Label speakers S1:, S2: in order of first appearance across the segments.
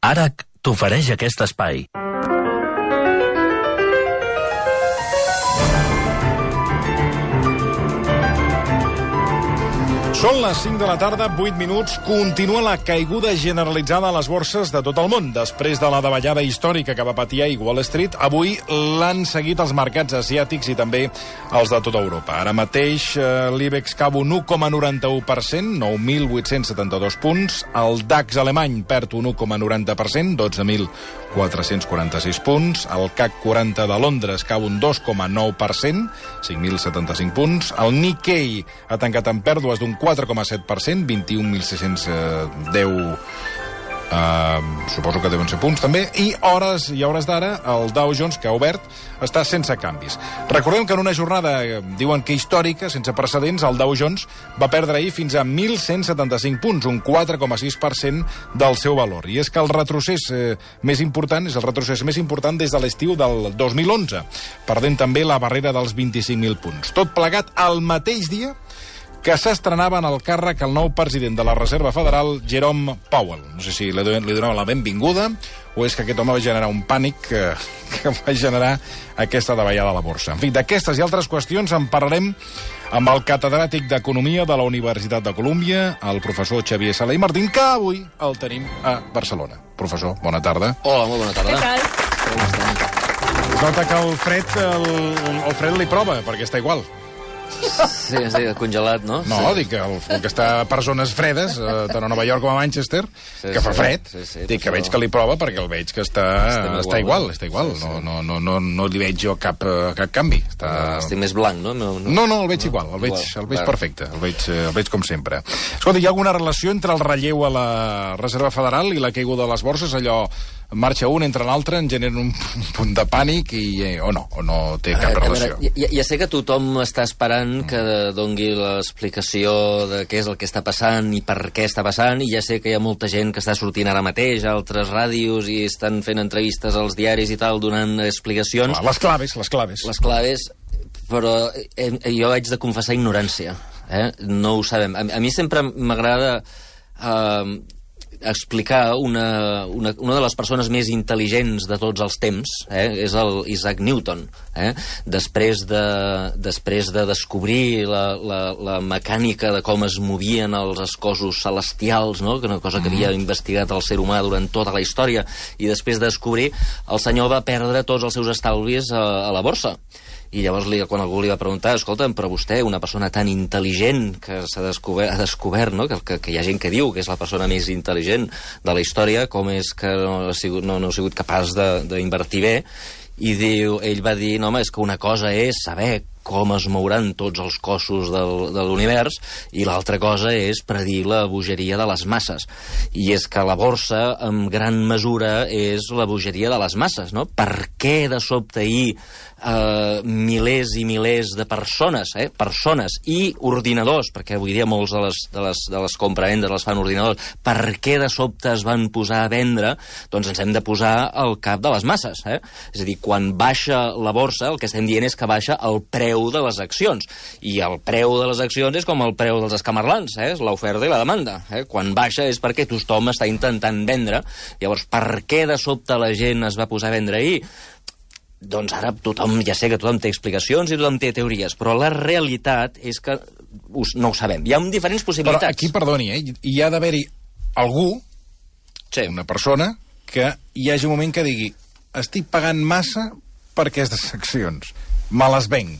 S1: ARAC t'ofereix aquest espai.
S2: Són les 5 de la tarda, 8 minuts. Continua la caiguda generalitzada a les borses de tot el món. Després de la davallada històrica que va patir ahir Wall Street, avui l'han seguit els mercats asiàtics i també els de tota Europa. Ara mateix l'IBEX cau un 1,91%, 9.872 punts. El DAX alemany perd un 1,90%, 12.446 punts. El CAC 40 de Londres cau un 2,9%, 5.075 punts. El Nikkei ha tancat en pèrdues d'un 4,7%, 21.610, suposo que deuen ser punts també, i hores d'ara el Dow Jones, que ha obert, està sense canvis. Recordem que en una jornada, diuen que històrica, sense precedents, el Dow Jones va perdre ahir fins a 1.175 punts, un 4,6% del seu valor. I és que el retrocés més important és el retrocés més important des de l'estiu del 2011, perdent també la barrera dels 25.000 punts. Tot plegat al mateix dia que s'estrenava en el càrrec el nou president de la Reserva Federal, Jerome Powell. No sé si li donava la benvinguda o és que aquest home va generar un pànic que va generar aquesta davallada a la borsa. En fi, d'aquestes i altres qüestions en parlarem amb el catedràtic d'Economia de la Universitat de Colúmbia, el professor Xavier Sala i Martín, que avui el tenim a Barcelona. Professor, bona tarda.
S3: Hola, molt bona tarda.
S4: Què tal?
S2: Es nota que el fred li prova, perquè està igual.
S3: Sí, congelat, no?
S2: No, sí. Dic que el que està per zones fredes, tant a Nova York com a Manchester, sí, que fa fred, dic que veig que li prova perquè el veig que està igual. No li veig jo cap canvi.
S3: Estic més blanc, no?
S2: No, el veig igual, el veig perfecte, el veig com sempre. Escolta, hi ha alguna relació entre el relleu a la Reserva Federal i la caiguda de les borses? Allò marxa un, entra l'altre, en genera un punt de pànic o no té cap relació?
S3: Ja sé que tothom està esperant que dongui l'explicació de què és el que està passant i per què està passant, i ja sé que hi ha molta gent que està sortint ara mateix a altres ràdios i estan fent entrevistes als diaris i tal, donant explicacions.
S2: Les claves.
S3: Les claves, però jo haig de confessar ignorància. No ho sabem. A mi sempre m'agrada explicar una de les persones més intel·ligents de tots els temps, és el Isaac Newton. Després de descobrir la mecànica de com es movien els cossos celestials, no? Que una cosa que havia investigat el ser humà durant tota la història, i després de descobrir, el senyor va perdre tots els seus estalvis a la borsa. I llavors, quan algú li va preguntar, escolta'm, però vostè, una persona tan intel·ligent que ha descobert, no? que hi ha gent que diu que és la persona més intel·ligent de la història, com és que no ha sigut capaç d'invertir bé? I ell va dir, no, home, és que una cosa és saber com es mouran tots els cossos de l'univers, i l'altra cosa és predir la bogeria de les masses. I és que la borsa, en gran mesura, és la bogeria de les masses, no? Per què de sobte ahir milers i milers de persones i ordinadors, perquè avui dia molts de les compravendes les fan ordinadors, per què de sobte es van posar a vendre? Doncs ens hem de posar al cap de les masses. És a dir, quan baixa la borsa, el que estem dient és que baixa el preu de les accions, i el preu de les accions és com el preu dels escamarlans, és l'oferta i la demanda. Quan baixa és perquè tothom està intentant vendre. Llavors, per què de sobte la gent es va posar a vendre ahir? Doncs ara ja sé que tothom té explicacions i tothom té teories, però la realitat és que no ho sabem. Hi ha diferents possibilitats.
S2: Però aquí, perdoni, hi ha d'haver-hi algú, una persona, que hi hagi un moment que digui estic pagant massa per aquestes accions, me les venc.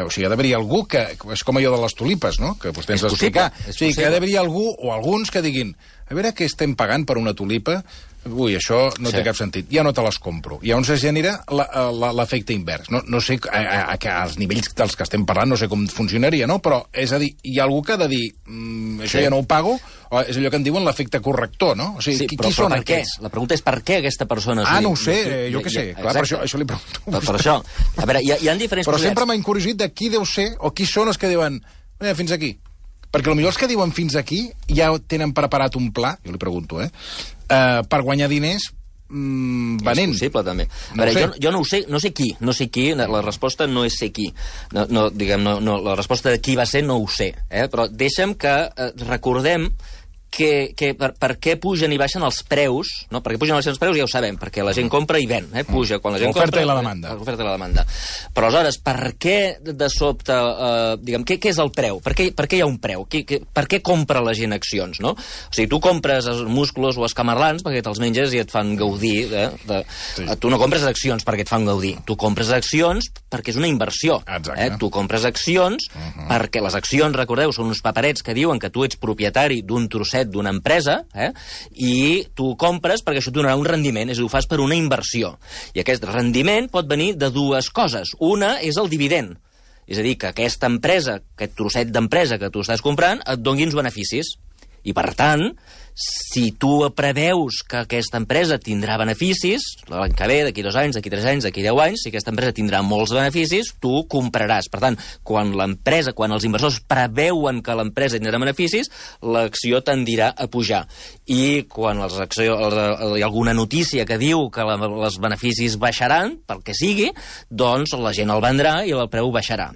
S2: O sigui, ha d'haver-hi algú que... És com allò de les tulipes, no?, que vostè ens va explicar. O sigui, que ha d'haver-hi algú o alguns que diguin a veure què estem pagant per una tulipa, ui, això no té cap sentit, ja no te les compro. I llavors es genera l'efecte invers. No sé, als nivells dels que estem parlant, no sé com funcionaria, no? Però, és a dir, hi ha algú que ha de dir això ja no ho pago, o és allò que en diuen l'efecte corrector, no? O sigui, qui són aquests?
S3: La pregunta és per què aquesta persona...
S2: No ho sé, jo què sé. Clar, per això li pregunto.
S3: Per això. A veure, hi ha diferents...
S2: Però sempre m'ha incuriosit de qui deu ser, o qui són els que diuen fins aquí. Perquè potser els que diuen fins aquí ja tenen preparat un pla, jo li pregunto, per guanyar diners venent.
S3: És possible, també. A veure, jo no sé qui, la resposta no és ser qui. La resposta de qui va ser no ho sé, però deixa'm que recordem per què pugen i baixen els preus, no? Per què pugen i baixen els preus ja ho sabem, perquè la gent compra i ven, puja quan la gent compra...
S2: L'oferta i la demanda.
S3: L'oferta i la demanda. Però aleshores, per què de sobte, diguem, què és el preu? Per què hi ha un preu? Per què compra la gent accions, no? O sigui, tu compres els musclos o els camarlans perquè te'ls menges i et fan gaudir. Tu no compres accions perquè et fan gaudir. Tu compres accions perquè és una inversió. Tu compres accions perquè les accions, recordeu, són uns paperets que diuen que tu ets propietari d'un trosset d'una empresa, i tu compres perquè això et donarà un rendiment, és a dir, ho fas per una inversió. I aquest rendiment pot venir de dues coses. Una és el dividend, és a dir, que aquesta empresa, aquest trosset d'empresa que tu estàs comprant, et doni uns beneficis. I, per tant, si tu preveus que aquesta empresa tindrà beneficis, l'any que ve, d'aquí 2 anys, d'aquí 3 anys, d'aquí 10 anys, si aquesta empresa tindrà molts beneficis, tu compraràs. Per tant, quan els inversors preveuen que l'empresa tindrà beneficis, l'acció tendirà a pujar. I quan hi ha alguna notícia que diu que els beneficis baixaran, pel que sigui, doncs la gent el vendrà i el preu baixarà.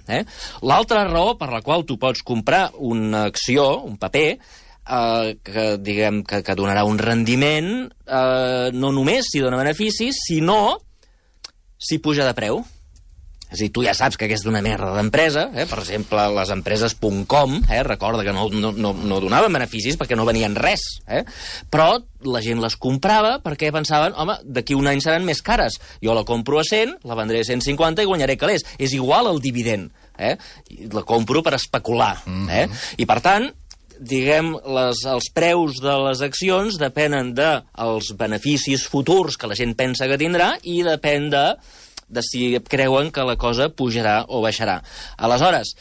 S3: L'altra raó per la qual tu pots comprar una acció, un paper, que donarà un rendiment, no només si dona beneficis, sinó si puja de preu. És a dir, tu ja saps que aquesta és una merda d'empresa, per exemple, les empreses .com, recorda que no donaven beneficis perquè no venien res, però la gent les comprava perquè pensaven, home, d'aquí un any seran més cares, jo la compro a 100, la vendré a 150 i guanyaré calés. És igual el dividend, la compro per especular, i per tant, diguem, els preus de les accions depenen dels beneficis futurs que la gent pensa que tindrà i depèn de si creuen que la cosa pujarà o baixarà. Aleshores,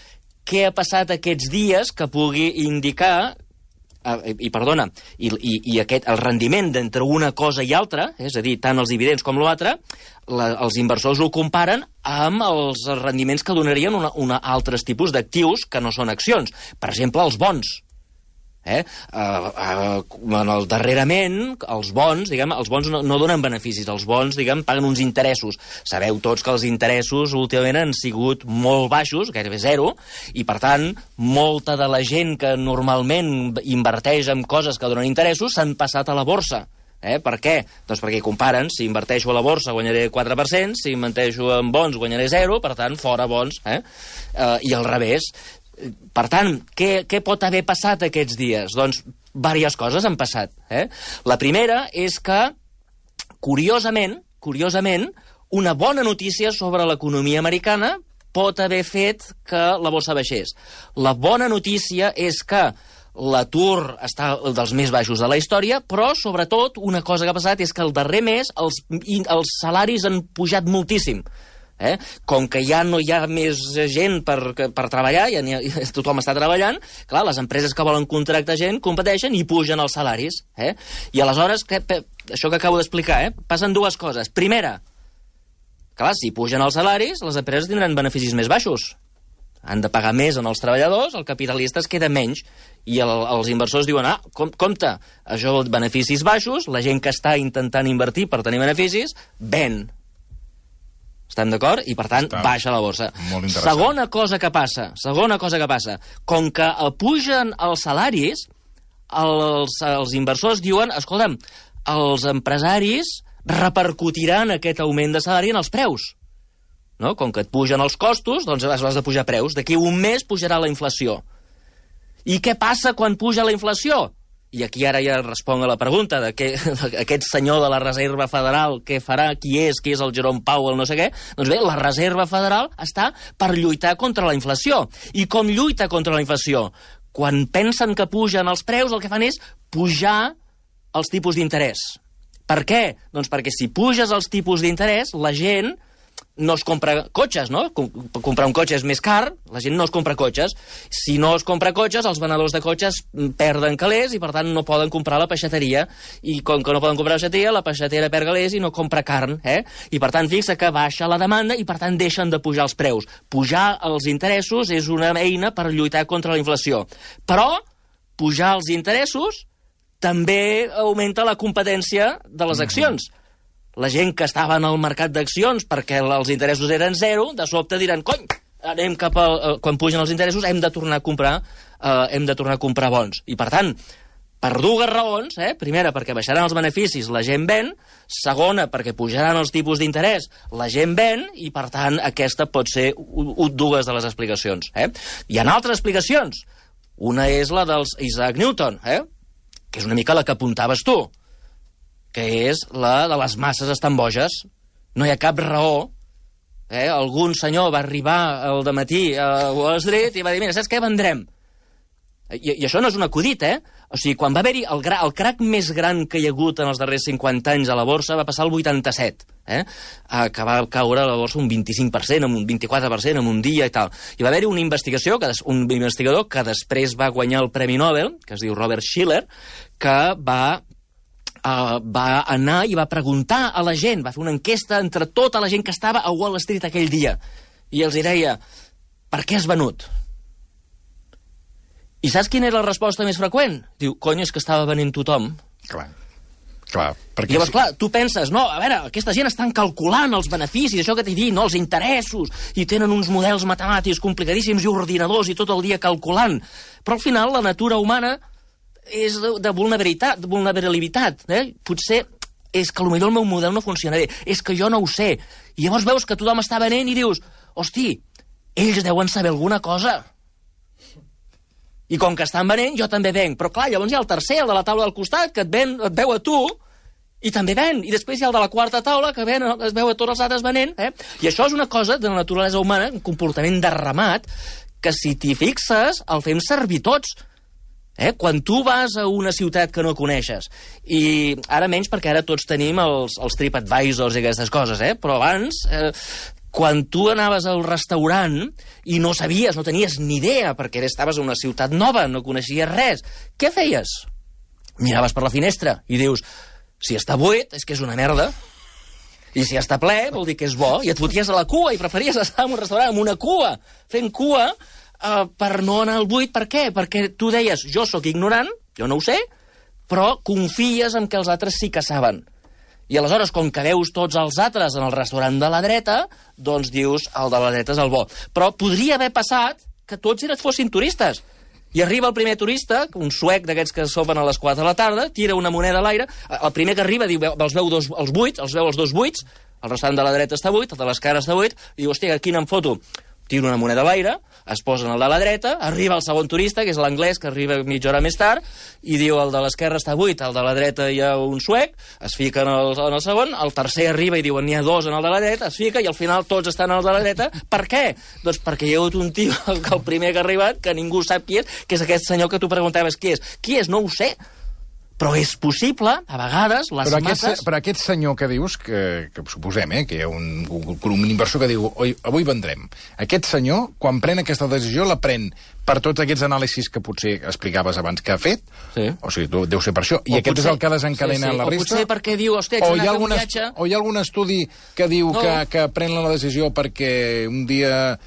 S3: què ha passat aquests dies que pugui indicar el rendiment d'entre una cosa i altra, és a dir, tant els dividends com l'altre, els inversors ho comparen amb els rendiments que donarien altres tipus d'actius que no són accions. Per exemple, els bons. Darrerament, els bons no donen beneficis, els bons, paguen uns interessos. Sabeu tots que els interessos últimament han sigut molt baixos, gairebé zero, i per tant, molta de la gent que normalment inverteix en coses que donen interessos s'han passat a la borsa. Per què? Doncs perquè comparen, si inverteixo a la borsa guanyaré 4%, si inverteixo en bons guanyaré 0%, per tant, fora bons, i al revés. Per tant, què pot haver passat aquests dies? Doncs diverses coses han passat. La primera és que, curiosament, una bona notícia sobre l'economia americana pot haver fet que la borsa baixés. La bona notícia és que l'atur està dels més baixos de la història, però, sobretot, una cosa que ha passat és que el darrer mes els salaris han pujat moltíssim. Com que ja no hi ha més gent per treballar, tothom està treballant, clar, les empreses que volen contractar gent competeixen i pugen els salaris. I aleshores, això que acabo d'explicar, passen dues coses. Primera, clar, si pugen els salaris, les empreses tindran beneficis més baixos. Han de pagar més en els treballadors, el capitalista es queda menys, i els inversors diuen, compte, això beneficis baixos, la gent que està intentant invertir per tenir beneficis, ven. Estem d'acord? I, per tant, baixa la borsa. Segona cosa que passa, com que pugen els salaris, els inversors diuen, escolta'm, els empresaris repercutiran aquest augment de salari en els preus. No? Com que et pugen els costos, doncs has de pujar preus. D'aquí un mes pujarà la inflació. I què passa quan puja la inflació? I aquí ara ja responc a la pregunta de aquest senyor de la Reserva Federal, què farà, qui és el Jerome Powell, no sé què. Doncs bé, la Reserva Federal està per lluitar contra la inflació. I com lluita contra la inflació? Quan pensen que pugen els preus, el que fan és pujar els tipus d'interès. Per què? Doncs perquè si puges els tipus d'interès, la gent no es compra cotxes, no? Comprar un cotxe és més car, la gent no es compra cotxes. Si no es compra cotxes, els venedors de cotxes perden calés i, per tant, no poden comprar la peixateria. I com que no poden comprar la peixateria, la peixatera perd calés i no compra carn, I, per tant, fixa que baixa la demanda i, per tant, deixen de pujar els preus. Pujar els interessos és una eina per lluitar contra la inflació. Però pujar els interessos també augmenta la competència de les accions. La gent que estava en el mercat d'accions perquè els interessos eren 0, de sobte diran, cony, anem cap quan pugen els interessos, hem de tornar a comprar bons. I, per tant, Per dues raons, primera, perquè baixaran els beneficis, la gent ven, segona, perquè pujaran els tipus d'interès, la gent ven, i per tant aquesta pot ser dues de les explicacions. Hi ha altres explicacions. Una és la dels Isaac Newton, que és una mica la que apuntaves tu, que és la de les masses estan boges. No hi ha cap raó. Algun senyor va arribar al dematí a Wall Street i va dir, mira, saps què, vendrem? I això no és un acudit, O sigui, quan va haver-hi el crac més gran que hi ha hagut en els darrers 50 anys a la borsa va passar el 87, que va caure a la borsa un 25%, un 24% en un dia i tal. I va haver-hi una investigació, un investigador que després va guanyar el Premi Nobel, que es diu Robert Shiller, que va anar i va preguntar a la gent, va fer una enquesta entre tota la gent que estava a Wall Street aquell dia, i els deia, per què has venut? I saps quina era la resposta més freqüent? Diu, cony, és que estava venent tothom.
S2: Clar.
S3: I llavors, clar, tu penses, no, a veure, aquesta gent estan calculant els beneficis, això que t'he dit, no, els interessos, i tenen uns models matemàtics complicadíssims i ordinadors i tot el dia calculant. Però al final la natura humana és de vulnerabilitat. Potser és que potser el meu model no funciona bé, és que jo no ho sé. I llavors veus que tothom està venent i dius, hosti, ells deuen saber alguna cosa. I com que estan venent, jo també venc. Però clar, llavors hi ha el tercer, el de la taula del costat, que et veu a tu, i també ven. I després hi ha el de la quarta taula, que es veu a tots els altres venent. I això és una cosa de la naturalesa humana, un comportament de ramat, que si t'hi fixes, el fem servir tots. Quan tu vas a una ciutat que no coneixes, i ara menys perquè ara tots tenim els TripAdvisors i aquestes coses, però abans... Quan tu anaves al restaurant i no sabies, no tenies ni idea, perquè estaves a una ciutat nova, no coneixies res, què feies? Miraves per la finestra i dius, si està buit, és que és una merda, i si està ple, vol dir que és bo, i et foties a la cua, i preferies estar en un restaurant amb una cua, fent cua, per no anar al buit. Per què? Perquè tu deies, jo sóc ignorant, jo no ho sé, però confies en que els altres sí que saben. I aleshores, com que veus tots els altres en el restaurant de la dreta, doncs dius, el de la dreta és el bo. Però podria haver passat que tots fossin turistes. I arriba el primer turista, un suec d'aquests que sopen a les 4 de la tarda, tira una moneda a l'aire, el primer que arriba diu, els veu els dos buits, el restaurant de la dreta està buit, el de l'esquerra està buit, i diu, hòstia, quina em foto? Tira una moneda a l'aire, es posa en el de la dreta, arriba el segon turista, que és l'anglès, que arriba mitja hora més tard, i diu, el de l'esquerra està buit, el de la dreta hi ha un suec, es fica en el segon, el tercer arriba i diuen, n'hi ha dos en el de la dreta, es fica, i al final tots estan en el de la dreta. Per què? Doncs perquè hi ha hagut un tio, el primer que ha arribat, que ningú sap qui és, que és aquest senyor que tu preguntaves qui és. Qui és? No ho sé. Però és possible, a vegades, les masses...
S2: Però aquest senyor que dius, que suposem, que hi ha un inversor que diu avui vendrem. Aquest senyor, quan pren aquesta decisió, la pren per tots aquests anàlisis que potser explicaves abans que ha fet?
S3: Sí.
S2: O sigui, deu ser per això. I aquest és el que desencadena la resta?
S3: O potser perquè diu, hòstia, ets anat a un viatge...
S2: O hi ha algun estudi que diu que pren la decisió perquè un dia...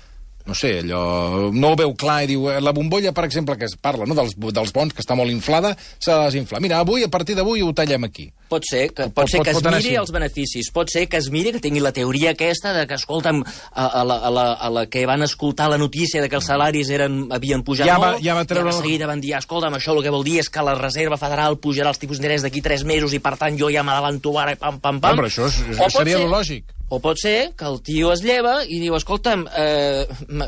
S2: no sé, allò, no ho veu clar i diu, la bombolla, per exemple, que es parla, no, dels bons, que està molt inflada, s'ha de desinflar. Mira, a partir d'avui ho tallem aquí.
S3: Pot ser que es miri els beneficis, pot ser que es miri, que tingui la teoria aquesta de que, escolta'm, a la que van escoltar la notícia de que els salaris havien pujat molt, i de seguida van dir, escolta'm, això el que vol dir és que la Reserva Federal pujarà els tipus d'interès d'aquí 3 mesos i, per tant, jo ja m'adavanto ara, pam, pam, pam.
S2: Però això seria lo lògic.
S3: O pot ser que el tio es lleva i diu, escolta'm,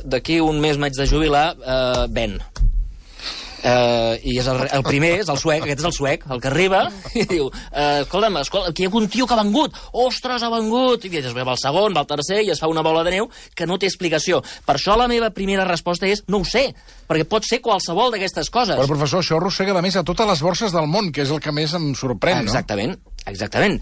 S3: d'aquí un mes m'haig de jubilar, ven. I és el primer, és el suec, aquest és el suec, el que arriba, i diu, escolta'm, aquí hi ha un tio que ha vengut, ostres, ha vengut, i després va el segon, va el tercer, i es fa una bola de neu que no té explicació. Per això la meva primera resposta és, no ho sé, perquè pot ser qualsevol d'aquestes coses.
S2: Però, professor, això arrossega, a més, a totes les borses del món, que és el que més em sorprèn, no?
S3: Exactament.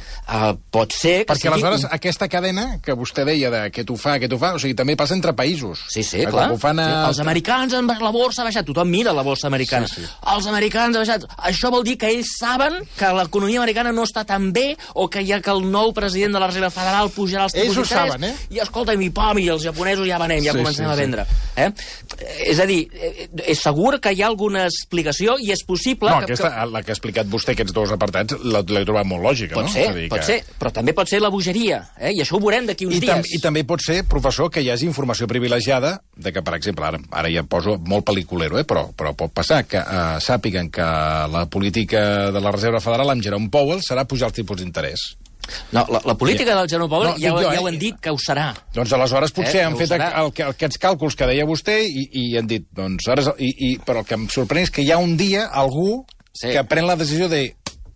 S3: Pot ser que
S2: perquè aleshores aquesta cadena que vostè deia de què t'ho fa, o sigui, també passa entre països.
S3: Sí, clar. Els americans, la borsa ha baixat. Tothom mira la borsa americana. Sí. Els americans han baixat. Això vol dir que ells saben que l'economia americana no està tan bé o que el nou president de la Reserva Federal pujarà els tipus d'interès.
S2: Ells ho saben,
S3: I escolta'm, i els japonesos ja venem, ja comencem a vendre. És a dir, és segur que hi ha alguna explicació i és possible...
S2: No, la que ha explicat vostè, aquests dos apartats, l'he trobat molt lògica,
S3: no? Pot ser, però també pot ser la bogeria, i això ho veurem d'aquí uns dies.
S2: I també pot ser, professor, que hi hagi informació privilegiada de que, per exemple, ara ja poso molt pel·liculero, però pot passar que sàpiguen que la política de la Reserva Federal amb Jerome Powell serà pujar els tipus d'interès.
S3: No, la política del Jerome Powell ja ho han dit que ho serà.
S2: Doncs aleshores potser han fet aquests càlculs que deia vostè i han dit, doncs, però el que em sorprèn és que hi ha un dia algú que pren la decisió de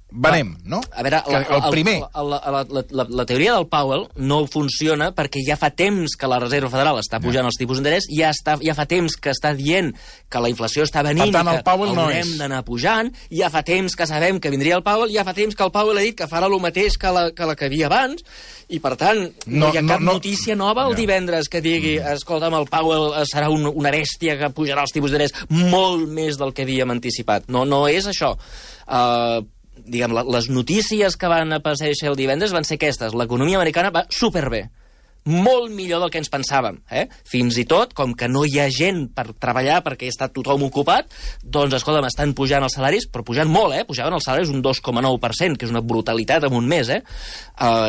S2: venem, no?
S3: A veure,
S2: el primer.
S3: La teoria del Powell no funciona perquè ja fa temps que la Reserva Federal està pujant els tipus d'interès, ja fa temps que està dient que la inflació està venint i que haurem d'anar pujant, ja fa temps que sabem que vindria el Powell, ja fa temps que el Powell ha dit que farà el mateix que la que havia abans, i per tant no hi ha cap notícia nova el divendres que digui, escolta'm, el Powell serà una bèstia que pujarà els tipus d'interès molt més del que havíem anticipat. No és això. Diguem, les notícies que van aparèixer el divendres van ser aquestes. L'economia americana va superbé. Molt millor del que ens pensàvem. Fins i tot, com que no hi ha gent per treballar perquè està tothom ocupat, doncs, escolta'm, estan pujant els salaris, però pujant molt, pujaven els salaris un 2,9%, que és una brutalitat en un mes,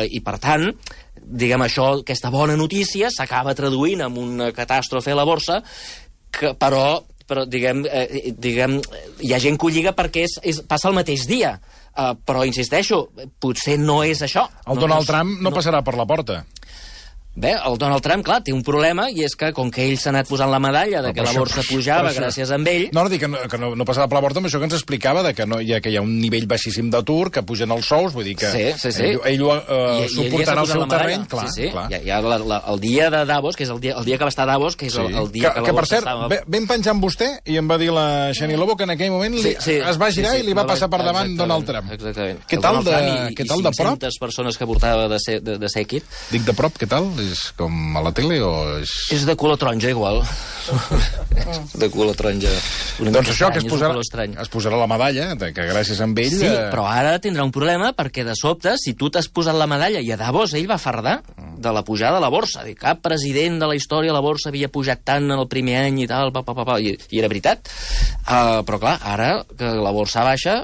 S3: i per tant, diguem, aquesta bona notícia s'acaba traduint en una catàstrofe a la borsa, però diguem, hi ha gent que ho lliga perquè passa el mateix dia. Però, insisteixo, potser no és això.
S2: El Donald Trump no passarà per la porta.
S3: Bé, el Donald Trump, clar, té un problema, i és que, com que ell s'ha anat posant la medalla de que la borsa pujava gràcies a ell...
S2: No, dic que no passarà per la porta, amb això que ens explicava, que hi ha un nivell baixíssim d'atur, que pugen els sous, vull dir que ell ho suportarà al seu terreny. Clar.
S3: Hi ha el dia de Davos, que és el dia que va estar a Davos, que és el dia que la borsa estava...
S2: Que, per cert, vam penjar amb vostè, i em va dir la Xeni Lobo que en aquell moment es va girar i li va passar per davant Donald Trump.
S3: Exactament.
S2: Què tal de prop?
S3: 500 persones que portava de sèquit.
S2: Dic de prop, què tal? És com a la tele o és...
S3: És de color taronja, igual. De color taronja.
S2: Doncs això, que es posarà la medalla, que gràcies a ell...
S3: Sí, però ara tindrà un problema, perquè de sobte, si tu t'has posat la medalla, i a Davos ell va fardar de la pujada de la borsa. Cap president de la història la borsa havia pujat tant en el primer any i tal, i era veritat. Però clar, ara que la borsa baixa...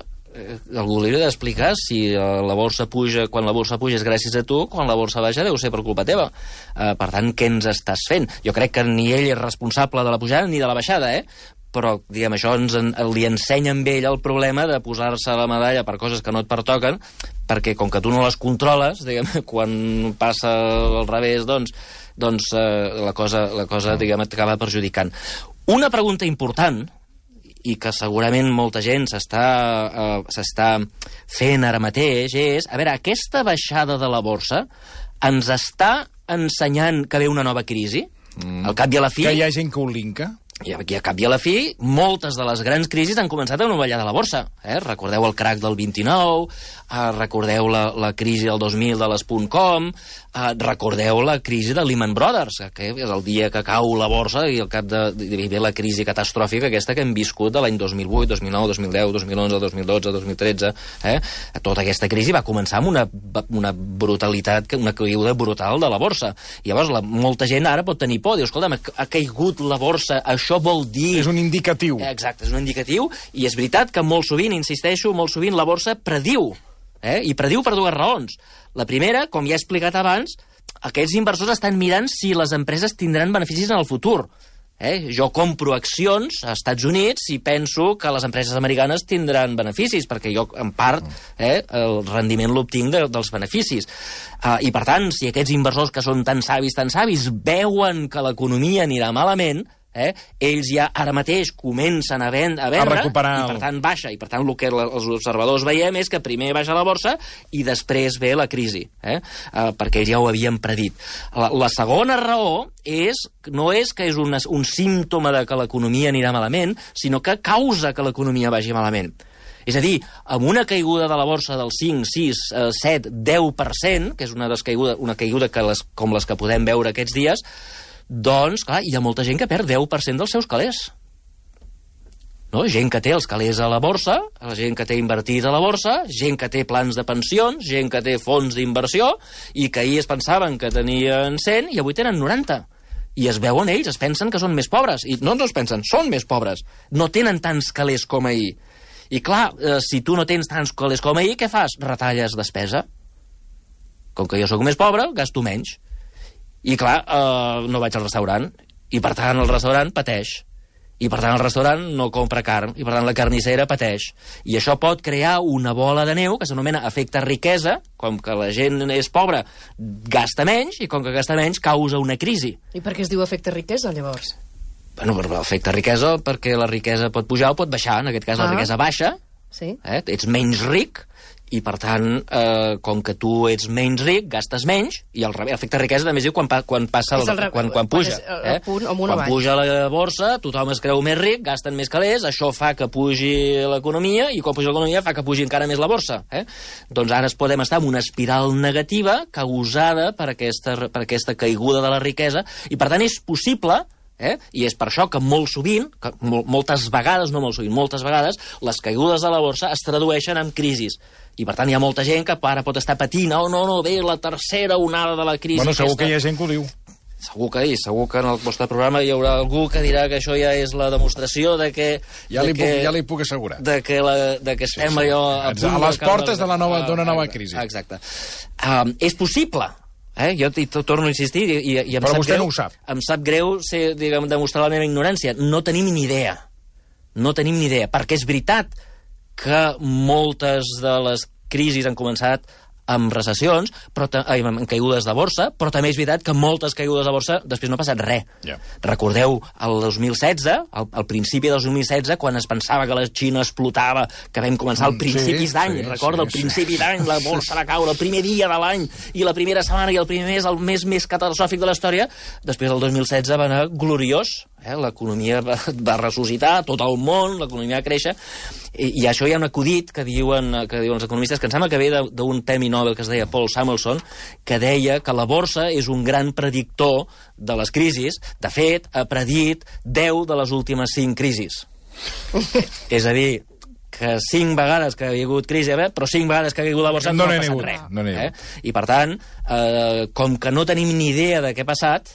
S3: algú li hauria d'explicar si la borsa puja, quan la borsa puja és gràcies a tu, quan la borsa baixa deu ser per culpa teva. Per tant, què ens estàs fent? Jo crec que ni ell és responsable de la pujada ni de la baixada, però, diguem, això li ensenya amb ell el problema de posar-se la medalla per coses que no et pertoquen, perquè com que tu no les controles, diguem, quan passa al revés, doncs la cosa, diguem, et acaba perjudicant. Una pregunta important, i que segurament molta gent s'està fent ara mateix, és, a veure, aquesta baixada de la borsa ens està ensenyant que ve una nova crisi? Al cap i a la fi...
S2: Que hi ha gent que ho linka?
S3: I a cap i a la fi, moltes de les grans crisis han començat amb una ballada de la borsa. Recordeu el crack del 29, recordeu la crisi del 2000 de les .com, recordeu la crisi de Lehman Brothers, que és el dia que cau la borsa i al cap de la crisi catastròfica aquesta que hem viscut de l'any 2008, 2009, 2010, 2011, 2012, 2013. Tota aquesta crisi va començar amb una brutalitat, una caiguda brutal de la borsa. I llavors molta gent ara pot tenir por, diu, escolta'm, ha caigut la borsa, això vol dir...
S2: És un indicatiu.
S3: Exacte, és un indicatiu, i és veritat que molt sovint, insisteixo, molt sovint la borsa prediu, i prediu per dues raons. La primera, com ja he explicat abans, aquests inversors estan mirant si les empreses tindran beneficis en el futur. Jo compro accions a Estats Units i penso que les empreses americanes tindran beneficis, perquè jo, en part, el rendiment l'obtinc dels beneficis. I, per tant, si aquests inversors que són tan savis, veuen que l'economia anirà malament, ells ja ara mateix comencen a vendre,
S2: recuperar,
S3: i per tant baixa, i per tant el que els observadors veiem és que primer baixa la borsa i després ve la crisi, perquè ells ja ho havien predit. La segona raó no és que és un símptoma de que l'economia anirà malament, sinó que causa que l'economia vagi malament. És a dir, amb una caiguda de la borsa del 5, 6, 7, 10%, que és una caiguda com les que podem veure aquests dies, doncs, clar, hi ha molta gent que perd 10% dels seus calés. Gent que té els calés a la borsa, gent que té invertit a la borsa, gent que té plans de pensions, gent que té fons d'inversió, i que ahir es pensaven que tenien 100 i avui tenen 90. I es veuen ells, es pensen que són més pobres. I no es pensen, són més pobres. No tenen tants calés com ahir. I clar, si tu no tens tants calés com ahir, què fas? Retalles despesa. Com que jo sóc més pobre, gasto menys. I clar, no vaig al restaurant. I per tant el restaurant pateix. I per tant el restaurant no compra carn. I per tant la carnissera pateix. I això pot crear una bola de neu que s'anomena efecte riquesa. Com que la gent és pobra, gasta menys, i com que gasta menys, causa una crisi.
S4: I per què es diu efecte riquesa, llavors?
S3: Bueno, per l'efecte riquesa, perquè la riquesa pot pujar o pot baixar. En aquest cas la riquesa baixa,
S4: sí.
S3: Ets menys ric, i per tant, com que tu ets menys ric, gastes menys, i el efecte riquesa també es diu quan passa quan puja. Quan puja la borsa, tothom es creu més ric, gasten més calés, això fa que pugi l'economia, i quan puja l'economia fa que pugi encara més la borsa. Doncs ara podem estar en una espiral negativa causada per aquesta caiguda de la riquesa, i per tant és possible, i és per això que molt sovint, moltes vegades, les caigudes de la borsa es tradueixen en crisis. I per tant hi ha molta gent que ara pot estar patint, ve la tercera onada de la crisi.
S2: Bueno, segur que hi ha gent que ho diu.
S3: Segur que en el vostre programa hi haurà algú que dirà que això ja és la demostració de que...
S2: Ja li puc assegurar.
S3: De que estem allò...
S2: A les portes d'una nova crisi.
S3: Exacte. És possible. Jo torno a insistir, i
S2: però vostè no ho sap.
S3: Em sap greu demostrar la meva ignorància. No tenim ni idea. Perquè és veritat que moltes de les crisis han començat amb recessions, amb caigudes de borsa, però també és veritat que moltes caigudes de borsa després no ha passat res.
S2: Yeah.
S3: Recordeu el 2016, al principi del 2016, quan es pensava que la Xina explotava, que vam començar al principis d'any, al principi d'any, la borsa va caure el primer dia de l'any, i la primera setmana i el primer mes, el mes més catastròfic de la història, després del 2016 va anar gloriós, l'economia va ressuscitar, tot el món, l'economia va créixer, i això hi ha un acudit que diuen els economistes, que em sembla que ve d'un premi Nobel que es deia Paul Samuelson, que deia que la borsa és un gran predictor de les crisis. De fet, ha predit 10 de les últimes 5 crisis. És a dir, que 5 vegades que hi ha hagut crisi, però 5 vegades que ha caigut la borsa no ha passat res. I per tant, com que no tenim ni idea de què ha passat,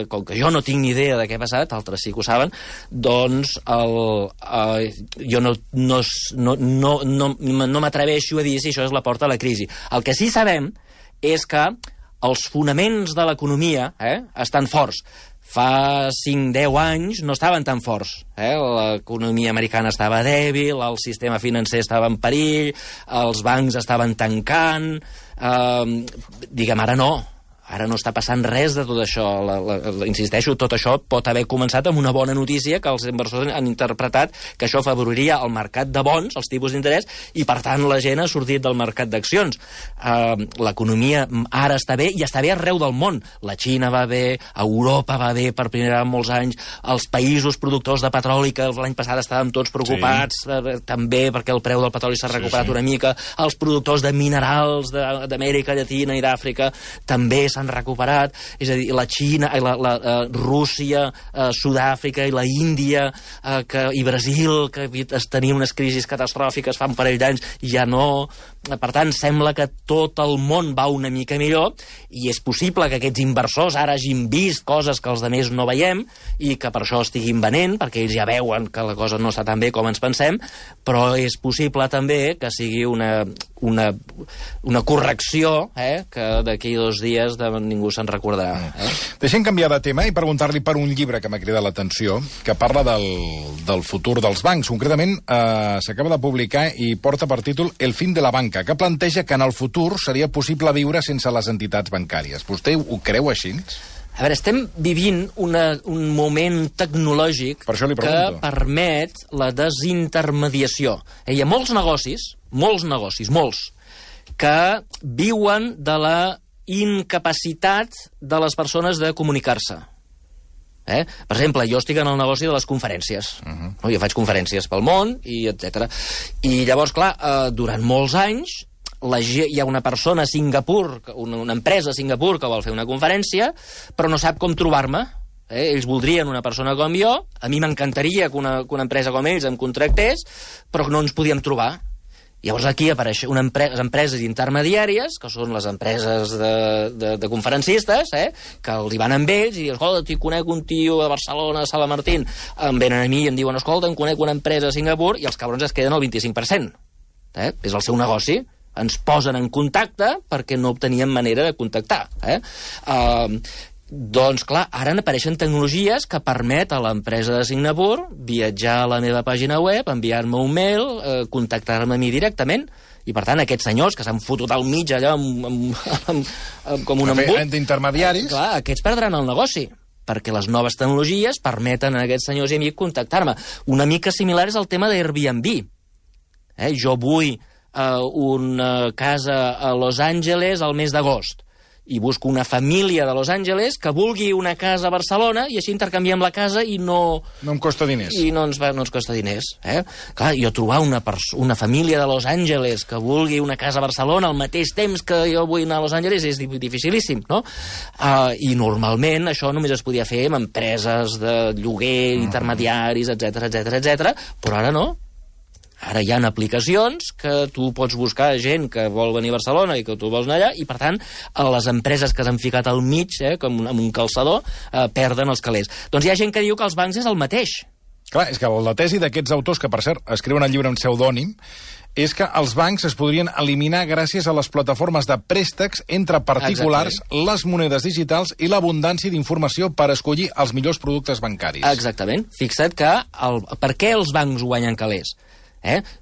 S3: com que jo no tinc ni idea de què ha passat, altres sí que ho saben, doncs jo no m'atreveixo a dir si això és la porta a la crisi. El que sí sabem és que els fonaments de l'economia estan forts. Fa 5-10 anys no estaven tan forts. L'economia americana estava dèbil, el sistema financer estava en perill, els bancs estaven tancant... Ara no. Ara no està passant res de tot això. Insisteixo, tot això pot haver començat amb una bona notícia que els inversors han interpretat que això afavoriria el mercat de bons, els tipus d'interès, i per tant la gent ha sortit del mercat d'accions. L'economia ara està bé, i està bé arreu del món. La Xina va bé, Europa va bé per primera vegada en molts anys, els països productors de petroli, que l'any passat estàvem tots preocupats, també perquè el preu del petroli s'ha recuperat una mica, els productors de minerals d'Amèrica Llatina i d'Àfrica també s'han recuperat, és a dir, la Xina, la Rússia, Sud-àfrica i la Índia i Brasil, que tenien unes crisis catastròfiques fa un parell d'anys, ja no. Per tant, sembla que tot el món va una mica millor, i és possible que aquests inversors ara hagin vist coses que els altres no veiem, i que per això estiguin venent, perquè ells ja veuen que la cosa no està tan bé com ens pensem, però és possible també que sigui una correcció, que d'aquí 2 dies ningú se'n recordarà.
S2: Deixem canviar de tema i preguntar-li per un llibre que m'ha cridat l'atenció, que parla del futur dels bancs. Concretament, s'acaba de publicar i porta per títol El fin de la banca, que planteja que en el futur seria possible viure sense les entitats bancàries. Vostè ho creu així?
S3: A veure, estem vivint un moment tecnològic que permet la desintermediació. Hi ha molts negocis, que viuen de la incapacitat de les persones de comunicar-se. Per exemple, jo estic en el negoci de les conferències. Jo faig conferències pel món, i etc. I llavors, clar, durant molts anys hi ha una persona a Singapur, una empresa a Singapur que vol fer una conferència, però no sap com trobar-me. Ells voldrien una persona com jo, a mi m'encantaria que una empresa com ells em contractés, però no ens podíem trobar. Llavors aquí apareixen les empreses intermediàries, que són les empreses de conferencistes, que els hi van amb ells i diuen, escolta, t'hi conec un tio a Barcelona, a Sala Martín, em venen a mi i em diuen, escolta, em conec una empresa a Singapur, i els cabrons es queden al 25%. És el seu negoci. Ens posen en contacte perquè no obtenien manera de contactar. Doncs, clar, ara apareixen tecnologies que permet a l'empresa de Singapur viatjar a la meva pàgina web, enviar-me un mail, contactar-me a mi directament, i, per tant, aquests senyors que s'han fotut al mig allà com un embut...
S2: D'intermediaris.
S3: Clar, aquests perdran el negoci, perquè les noves tecnologies permeten a aquests senyors i a mi contactar-me. Una mica similar és el tema d'Airbnb. Jo vull una casa a Los Angeles al mes d'agost, i busco una família de Los Angeles que vulgui una casa a Barcelona i així intercanviem la casa i no...
S2: No em costa diners.
S3: I no ens costa diners. Clar, jo trobar una família de Los Angeles que vulgui una casa a Barcelona al mateix temps que jo vull anar a Los Angeles és dificilíssim, no? I normalment això només es podia fer amb empreses de lloguer, intermediaris, etc, però ara no. Ara hi ha aplicacions que tu pots buscar gent que vol venir a Barcelona i que tu vols anar allà, i, per tant, les empreses que s'han ficat al mig, com amb un calçador, perden els calés. Doncs hi ha gent que diu que els bancs és el mateix.
S2: Clar, és que la tesi d'aquests autors, que, per cert, escriuen el llibre en pseudònim, és que els bancs es podrien eliminar gràcies a les plataformes de préstecs entre particulars, les monedes digitals i l'abundància d'informació per escollir els millors productes bancaris.
S3: Exactament. Fixa't que per què els bancs guanyen calés?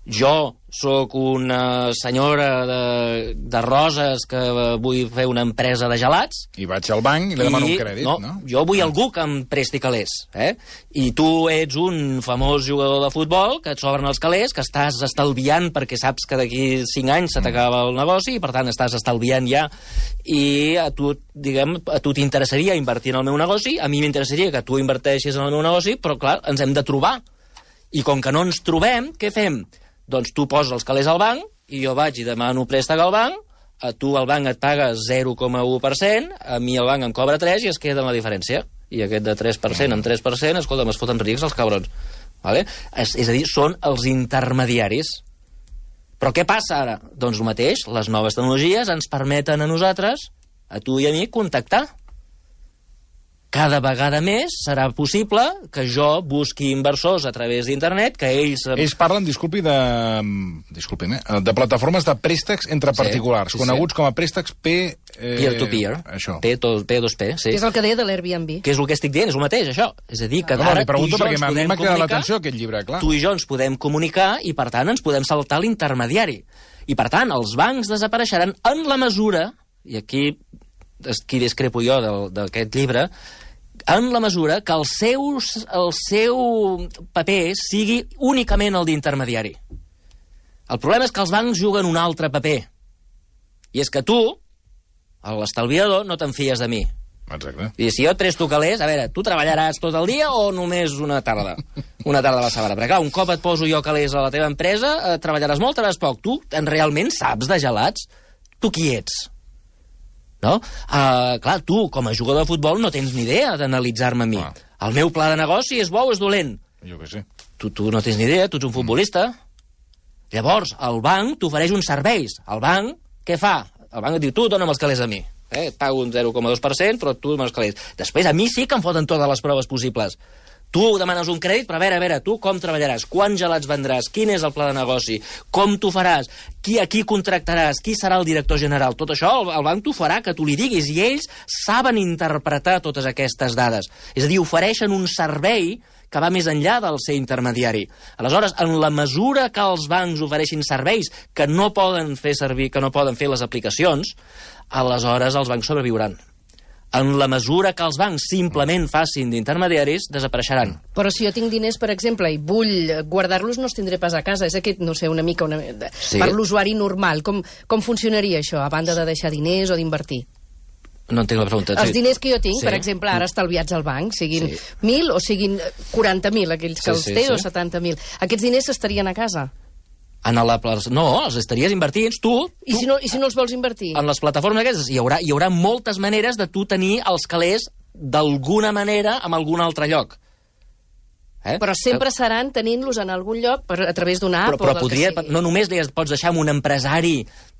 S3: Jo sóc una senyora de Roses que vull fer una empresa de gelats.
S2: I vaig al banc i li demano un crèdit, no?
S3: Jo vull algú que em presti calés. I tu ets un famós jugador de futbol, que et sobren els calés, que estàs estalviant perquè saps que d'aquí 5 anys se t'acaba el negoci i, per tant, estàs estalviant ja. I a tu t'interessaria invertir en el meu negoci, a mi m'interessaria que tu inverteixis en el meu negoci, però, clar, ens hem de trobar. I com que no ens trobem, què fem? Doncs tu poses els calés al banc i jo vaig i demano préstec al banc, a tu el banc et paga 0,1%, a mi el banc em cobra 3% i es queda amb la diferència. I aquest de 3% amb 3%, escolta, es foten rics els cabrons. És a dir, són els intermediaris. Però què passa ara? Doncs el mateix, les noves tecnologies ens permeten a nosaltres, a tu i a mi, contactar. Cada vegada més serà possible que jo busqui inversors a través d'internet, que ells...
S2: Ells parlen, de plataformes de préstecs entre particulars, coneguts com a préstecs
S3: peer-to-peer.
S2: Això.
S3: P2P, sí.
S4: Que és el que deia de l'Airbnb.
S3: Que és el que estic dient, és el mateix, això. És a dir, que ara tu i jo ens podem comunicar,
S2: aquest llibre, clar.
S3: Tu i jo ens podem comunicar i, per tant, ens podem saltar l'intermediari. I, per tant, els bancs desapareixeran en la mesura, i aquí discrepo jo d'aquest llibre, en la mesura que el seu paper sigui únicament el d'intermediari. El problema és que els bancs juguen un altre paper. I és que tu, l'estalviador, no te'n fies de mi.
S2: Exacte.
S3: I si jo et presto calés, a veure, tu treballaràs tot el dia o només una tarda? Una tarda a la setmana. Perquè, clar, un cop et poso jo calés a la teva empresa, treballaràs molt, treballaràs poc. Tu realment saps de gelats? Tu qui ets? No? Clar, tu, com a jugador de futbol, no tens ni idea d'analitzar-me a mi. El meu pla de negoci és bo o és dolent?
S2: Jo què sé.
S3: Tu no tens ni idea, tu ets un futbolista. Llavors, el banc t'ofereix uns serveis. El banc, què fa? El banc et diu, tu dona'm els calés a mi. Et pago un 0,2%, però tu dona'm els calés. Després, a mi sí que em foten totes les proves possibles. Tu demanes un crèdit, però a veure, tu com treballaràs? Quants gelats vendràs? Quin és el pla de negoci? Com t'ho faràs? A qui contractaràs? Qui serà el director general? Tot això el banc t'ho farà, que tu li diguis, i ells saben interpretar totes aquestes dades. És a dir, ofereixen un servei que va més enllà del ser intermediari. Aleshores, en la mesura que els bancs ofereixin serveis que no poden fer servir, que no poden fer les aplicacions, aleshores els bancs sobreviuran. En la mesura que els bancs simplement facin d'intermediaris, desapareixeran.
S4: Però si jo tinc diners, per exemple, i vull guardar-los, no els tindré pas a casa. És aquest, no sé, una mica...
S3: Sí.
S4: Per l'usuari normal, com funcionaria això, a banda de deixar diners o d'invertir?
S3: No entenc la pregunta.
S4: Els diners que jo tinc, per exemple, ara estalviats al banc, siguin 1.000 o siguin 40.000, aquells que els té, o 70.000. Aquests diners estarien a casa?
S3: No, els estaries invertint, tu...
S4: I si no els vols invertir?
S3: En les plataformes aquestes hi haurà moltes maneres de tu tenir els calés d'alguna manera en algun altre lloc.
S4: Però sempre seran tenint-los en algun lloc a través d'una app
S3: però
S4: o del que sigui.
S3: No només li pots deixar amb un empresari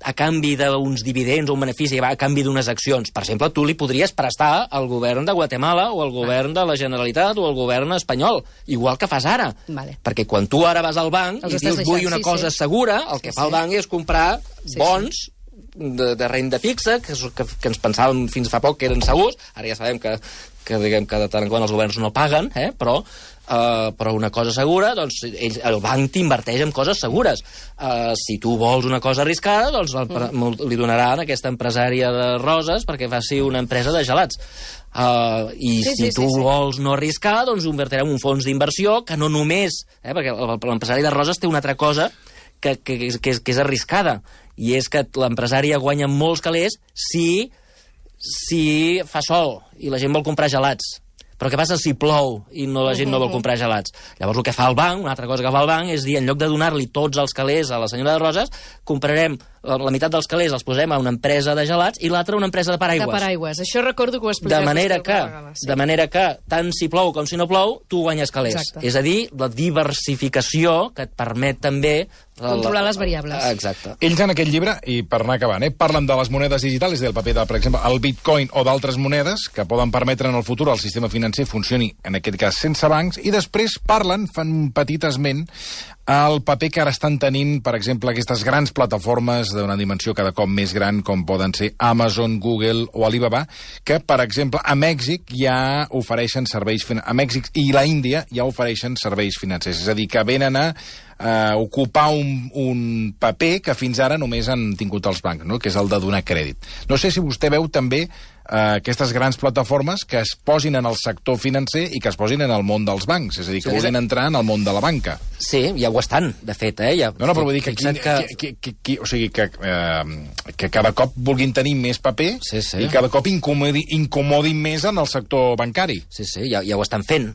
S3: a canvi d'uns dividends o un benefici, a canvi d'unes accions. Per exemple, tu li podries prestar al govern de Guatemala o al govern de la Generalitat o al govern espanyol, igual que fas ara.
S4: Vale.
S3: Perquè quan tu ara vas al banc i dius vull una cosa segura, el que fa el banc és comprar bons de renda fixa, que ens pensàvem fins fa poc que eren segurs. Ara ja sabem que diguem que de tant en quant els governs no paguen, però una cosa segura, doncs el banc t'inverteix en coses segures. Si tu vols una cosa arriscada, doncs li donaran a aquesta empresària de roses perquè faci una empresa de gelats. Si tu vols no arriscar, doncs ho invertirem en un fons d'inversió que no només... perquè l'empresari de roses té una altra cosa que és arriscada, i és que l'empresària guanya molts calés si fa sol i la gent vol comprar gelats. Però què passa si plou i la gent no vol comprar gelats? Llavors el que fa el banc, una altra cosa que fa el banc, és dir, en lloc de donar-li tots els calés a la senyora de Roses, comprarem la meitat dels calés, els posem a una empresa de gelats i l'altra a una empresa de paraigües.
S4: De paraigües. Això recordo que ho expliqueu.
S3: De manera que, tant si plou com si no plou, tu guanyes calés.
S4: Exacte.
S3: És a dir, la diversificació que et permet també...
S4: controlar les variables.
S3: Exacte.
S2: Ells en aquest llibre, i per anar acabant, parlen de les monedes digitals, del paper de, per exemple, el bitcoin o d'altres monedes que poden permetre en el futur el sistema financer funcioni, en aquest cas, sense bancs, i després fan un petit esment el paper que ara estan tenint, per exemple, aquestes grans plataformes d'una dimensió cada cop més gran, com poden ser Amazon, Google o Alibaba, que, per exemple, a Mèxic ja ofereixen serveis... A Mèxic i la Índia ja ofereixen serveis financers. És a dir, que venen a ocupar un paper que fins ara només han tingut els bancs, no? Que és el de donar crèdit. No sé si vostè veu també aquestes grans plataformes que es posin en el sector financer i que es posin en el món dels bancs, és a dir, que vulguin entrar en el món de la banca.
S3: Sí, ja ho estan, de fet.
S2: No, però vull dir que o sigui, que cada cop vulguin tenir més paper i cada cop incomodin més en el sector bancari.
S3: Sí, ja ho estan fent.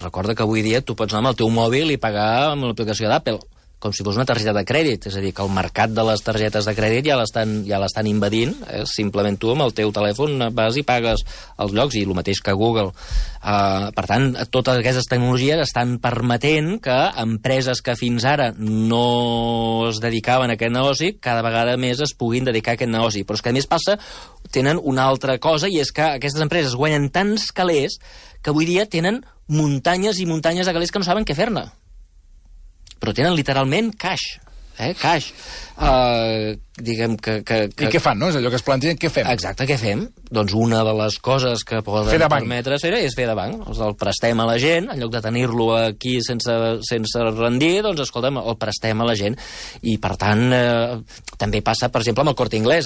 S3: Recorda que avui dia tu pots anar amb el teu mòbil i pagar amb l'aplicació d'Apple, com si fos una targeta de crèdit. És a dir, que el mercat de les targetes de crèdit ja l'estan invadint. Simplement tu amb el teu telèfon vas i pagues els llocs, i el mateix que Google. Per tant, totes aquestes tecnologies estan permetent que empreses que fins ara no es dedicaven a aquest negoci, cada vegada més es puguin dedicar a aquest negoci. Però és que, a més, tenen una altra cosa, i és que aquestes empreses guanyen tants calés que avui dia tenen muntanyes i muntanyes de calés que no saben què fer-ne. Però tenen literalment cash. Cash. Diguem que...
S2: I què fan, no? És allò que es plantegen, què fem?
S3: Exacte, què fem? Doncs una de les coses que poden permetre és fer de banc. El prestem a la gent, en lloc de tenir-lo aquí sense rendir, doncs, escolta'm, el prestem a la gent. I, per tant, també passa, per exemple, amb el Corte Inglés,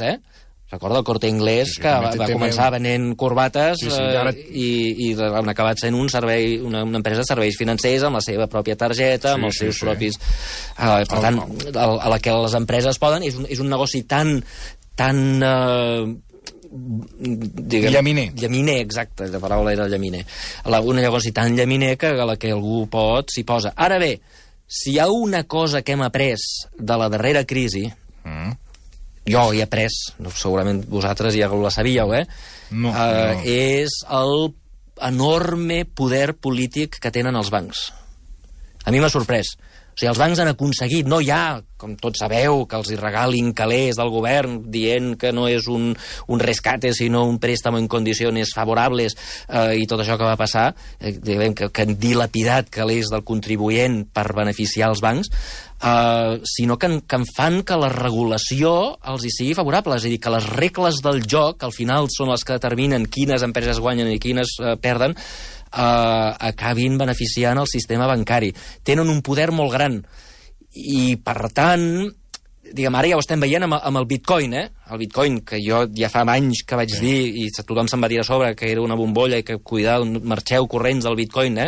S3: Recorda el Corte Inglés, que va començar venent corbates i han acabat sent una empresa de serveis financers amb la seva pròpia targeta, amb els seus propis... Per tant, a la que les empreses poden... És un negoci tan
S2: llaminer.
S3: Llaminer, exacte, la paraula era llaminer. Un negoci tan llaminer que a la que algú s'hi posa. Ara bé, si hi ha una cosa que hem après de la darrera crisi... Jo hi he après, segurament vosaltres ja la sabíeu,
S2: No.
S3: És el enorme poder polític que tenen els bancs. A mi m'ha sorprès. O sigui, els bancs han aconseguit, no ja, com tots sabeu, que els hi regalin calés del govern dient que no és un rescate, sinó un préstamo en condicions favorables, i tot això que va passar, que han dilapidat calés del contribuent per beneficiar els bancs, sinó que en fan que la regulació els hi sigui favorable. És a dir, que les regles del joc, que al final són les que determinen quines empreses guanyen i quines perden, acabin beneficiant el sistema bancari. Tenen un poder molt gran i, per tant, diguem, ara ja ho estem veient amb el bitcoin, El bitcoin, que jo ja fa anys que vaig dir, i tothom se'n va dir a sobre que era una bombolla i que marxeu corrents del bitcoin,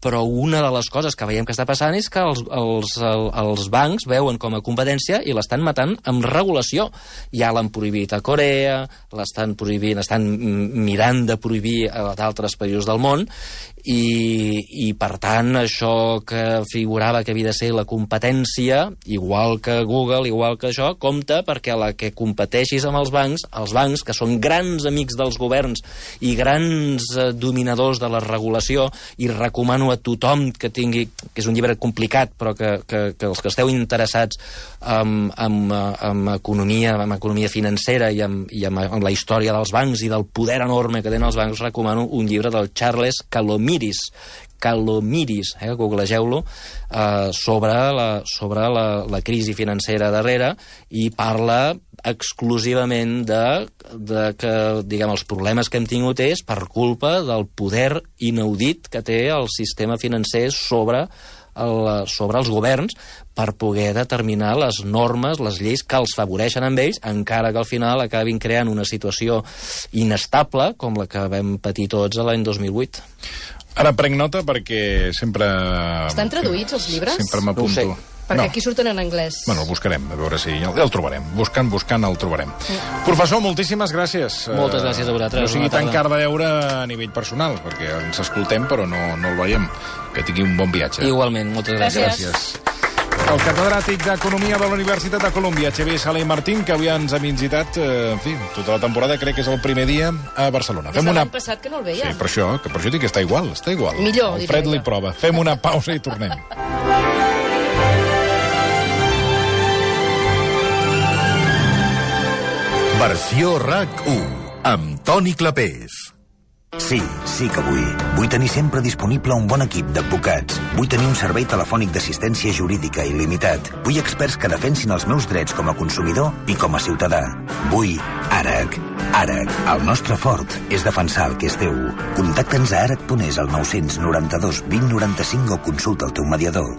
S3: però una de les coses que veiem que està passant és que els bancs veuen com a competència i l'estan matant amb regulació. Ja l'han prohibit a Corea, l'estan prohibint, estan mirant de prohibir a d'altres països del món, i per tant això que figurava que havia de ser la competència, igual que Google, igual que això, compta perquè a la que competeixis amb els bancs, que són grans amics dels governs i grans dominadors de la regulació, i recomano a tothom que tingui, que és un llibre complicat, però que els que esteu interessats en economia financera i en la història dels bancs i del poder enorme que tenen els bancs, recomano un llibre del Charles Calomiris, googlegeu-lo, sobre la crisi financera darrere, i parla exclusivament de que, diguem, els problemes que hem tingut és per culpa del poder inaudit que té el sistema financer sobre els governs per poder determinar les normes, les lleis que els favoreixen amb ells, encara que al final acabin creant una situació inestable com la que vam patir tots l'any 2008.
S2: Ara prenc nota perquè sempre...
S4: Estan traduïts els llibres?
S2: Sempre m'apunto.
S4: No ho sé. Perquè aquí surten en anglès.
S2: Bueno, el buscarem, a veure si el trobarem. Buscant el trobarem. Professor, moltíssimes gràcies.
S3: Moltes gràcies a vosaltres.
S2: No sigui tan car de veure a nivell personal, perquè ens escoltem però no el veiem. Que tingui un bon viatge.
S3: Igualment, moltes gràcies.
S2: Gràcies. El catedràtic d'Economia de la Universitat de Colòmbia, Xavier Sala i Martín, que avui ens ha visitat, en fi, tota la temporada, crec que és el primer dia a Barcelona.
S4: Des de l'any passat que no el veia.
S2: Sí, per això dic que està igual.
S4: Millor,
S2: el fred li prova. Fem una pausa i tornem.
S5: Versió RAC1, amb Toni Clapés.
S6: Sí que vull. Vull tenir sempre disponible un bon equip d'advocats. Vull tenir un servei telefònic d'assistència jurídica il·limitat. Vull experts que defensin els meus drets com a consumidor i com a ciutadà. Vull ARAC. ARAC, el nostre fort és defensar el que és teu. Contacta'ns a arac.es al 992 20 95 o consulta el teu mediador.